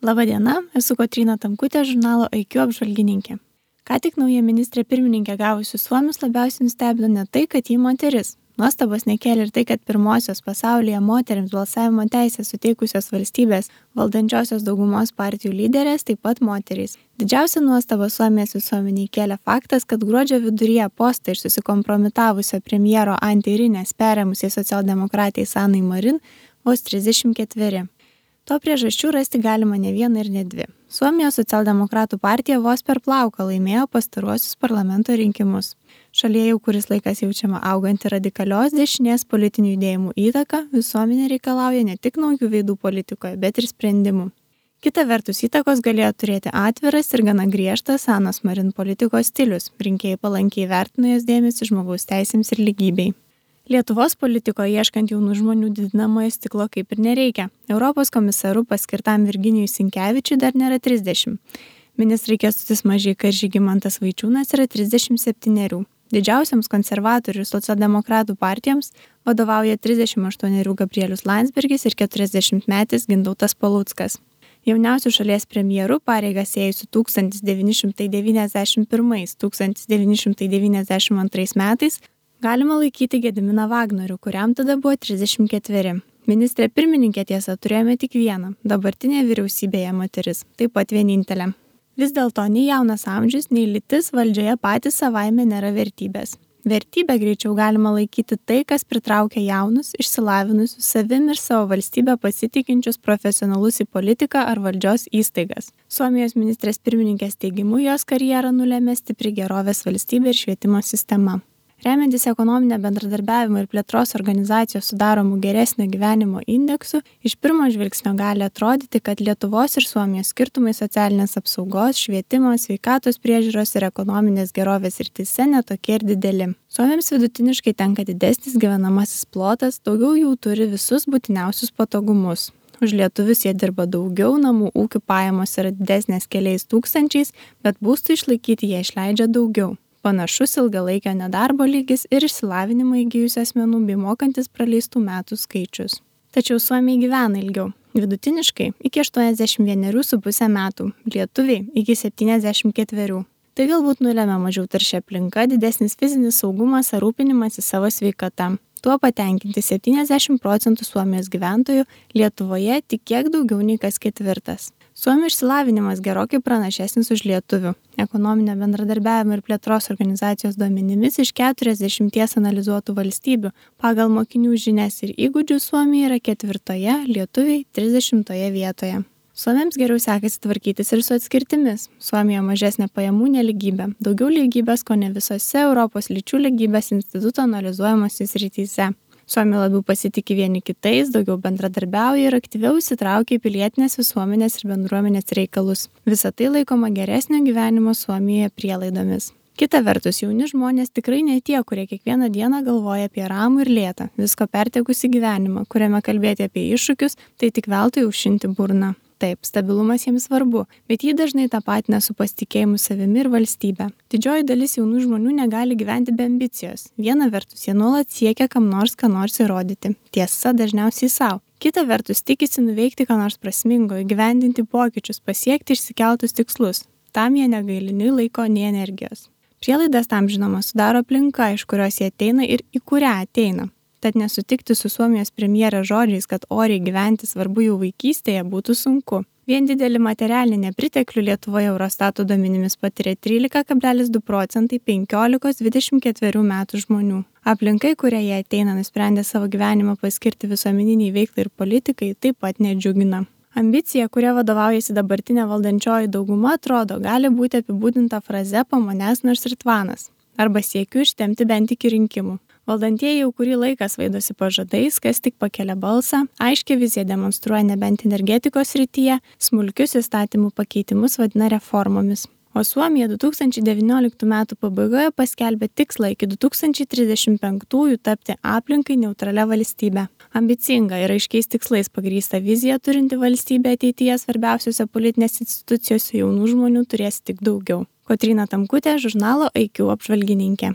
Labadiena, esu Kotryna Tamkutė, žurnalo IQ apžvalgininkė. Ką tik nauja ministrė pirmininkė gavusi suomius labiausiai nustebino ne tai, kad ji moteris. Nuostabos nekėlė ir tai, kad pirmosios pasaulyje moterims balsavimo teisę suteikusios valstybės valdančiosios daugumos partijų lyderės taip pat moterys. Didžiausia nuostaba Suomijos visuomeniai kėlė faktas, kad gruodžio viduryje postą iš susikompromitavusio premjero Antti Rinės perėmusiai socialdemokratai Sanai Marin vos 34. To priežasčių rasti galima ne vieną ir ne dvi. Suomijos socialdemokratų partija vos per plauką laimėjo pastaruosius parlamento rinkimus. Šalyje jau kuris laikas jaučiama auganti radikalios dešinės politinių judėjimų įtaka, visuomenė reikalauja ne tik naujų veidų politikoje, bet ir sprendimų. Kita vertus įtakos galėjo turėti atviras ir gana griežtas Sanos Marin politikos stilius, rinkėjai palankiai vertino jos dėmesį žmogaus teisėms ir lygybei. Lietuvos politikoje ieškant jaunų žmonių didinamojo stiklo kaip ir nereikia. Europos komisaru paskirtam Virginijui Sinkevičiui dar nėra 30. Ministrai Kęstutis Mažeika ir Žygimantas Vaičiūnas yra 37. Didžiausiams konservatorių ir socialdemokratų partijoms vadovauja 38 Gabrielius Landsbergis ir 40-metis Gintautas Paluckas. Jauniausių šalies premjerų pareigas ėjusių 1991–1992 metais galima laikyti Gediminą Vagnorių, kuriam tada buvo 34. Ministrė pirmininkė tiesa turėjome tik vieną, dabartinė vyriausybėje moteris, taip pat vienintelė. Vis dėlto nei jaunas amžius, nei lytis valdžioje patys savaime nėra vertybės. Vertybė greičiau galima laikyti tai, kas pritraukia jaunus, išsilavinusius, savim ir savo valstybę pasitikinčius profesionalus į politiką ar valdžios įstaigas. Suomijos ministrės pirmininkės teigimu jos karjerą nulėmė stipri gerovės valstybė ir švietimo sistema. Remiantis ekonominę bendradarbiavimo ir plėtros organizacijos sudaromų geresnio gyvenimo indeksų, iš pirmo žvilgsnio gali atrodyti, kad Lietuvos ir Suomijos skirtumai socialinės apsaugos, švietimo, sveikatos priežiūros ir ekonominės gerovės srityse netokie ir dideli. Suomiams vidutiniškai tenka didesnis gyvenamasis plotas, daugiau jų turi visus būtiniausius patogumus. Už lietuvius jie dirba daugiau, namų ūkių pajamos yra didesnės keliais tūkstančiais, bet būstų išlaikyti jie išleidžia daugiau. Panašus ilgalaikio nedarbo lygis ir išsilavinimą įgijusių asmenų bei mokantis praleistų metų skaičius. Tačiau suomiai gyvena ilgiau. Vidutiniškai iki 81,5 metų, lietuviai iki 74. Tai galbūt nulemia mažiau tarši aplinka, didesnis fizinis saugumas ar rūpinimasis savo sveikata. Tuo patenkinti 70% Suomijos gyventojų, Lietuvoje tik kiek daugiau nei kas ketvirtas. Suomių išsilavinimas gerokai pranašesnis už lietuvių. Ekonominio bendradarbiavimo ir plėtros organizacijos duomenimis iš 40 analizuotų valstybių pagal mokinių žinias ir įgūdžių Suomija yra 4, lietuviai 30 vietoje. Suomiams geriau sekasi tvarkytis ir su atskirtimis. Suomijoje mažesnė pajamų nelygybė, daugiau lygybės kone visose Europos lyčių lygybės instituto analizuojamose srityse. Suomiai labiau pasitikė vieni kitais, daugiau bendradarbiauja ir aktyviau įsitraukia į pilietinės visuomenės ir bendruomenės reikalus. Visa tai laikoma geresnio gyvenimo Suomijoje prielaidomis. Kita vertus, jauni žmonės tikrai ne tie, kurie kiekvieną dieną galvoja apie ramų ir lėtą, visko pertekusi gyvenimą, kuriame kalbėti apie iššūkius, tai tik veltui aušinti burną. Taip, stabilumas jiems svarbu, bet jį dažnai tapatina su pasitikėjimu savimi ir valstybe. Didžioji dalis jaunų žmonių negali gyventi be ambicijos. Viena vertus, jie nuolat siekia kam nors ką nors įrodyti. Tiesa, dažniausiai savo. Kita vertus, tikisi nuveikti ką nors prasmingo, įgyvendinti pokyčius, pasiekti išsikeltus tikslus. Tam jie negaili nei laiko, nei energijos. Prielaidas tam žinoma sudaro aplinka, iš kurios jie ateina ir į kurią ateina. Tad nesutikti su Suomijos premjerės žodžiais, kad oriai gyventi svarbu jau vaikystėje, būtų sunku. Vien didelį materialinį nepriteklių Lietuvoje Eurostato duomenimis patiria 13,2% 15–24 metų žmonių. Aplinkai, kuria jie ateina nusprendę savo gyvenimą paskirti visuomeniniai veiklai ir politikai, taip pat nedžiugina. Ambicija, kuria vadovaujasi dabartinė valdančioji dauguma, atrodo, gali būti apibūdinta fraze po manęs nors ir tvanas. Arba siekiu ištempti bent iki rinkimų. Valdantieji jau kurį laiką svaidosi pažadais, kas tik pakelia balsą, aiškiai viziją demonstruoja nebent energetikos srityje, smulkius įstatymų pakeitimus vadina reformomis. O Suomija 2019 metų pabaigoje paskelbė tikslą iki 2035 tapti aplinkai neutralia valstybe. Ambicinga ir aiškiais tikslais pagrįsta vizija turinti valstybė ateityje svarbiausiose politinės institucijose jaunų žmonių turės tik daugiau. Kotryna Tamkutė, žurnalo IQ apžvalgininkė.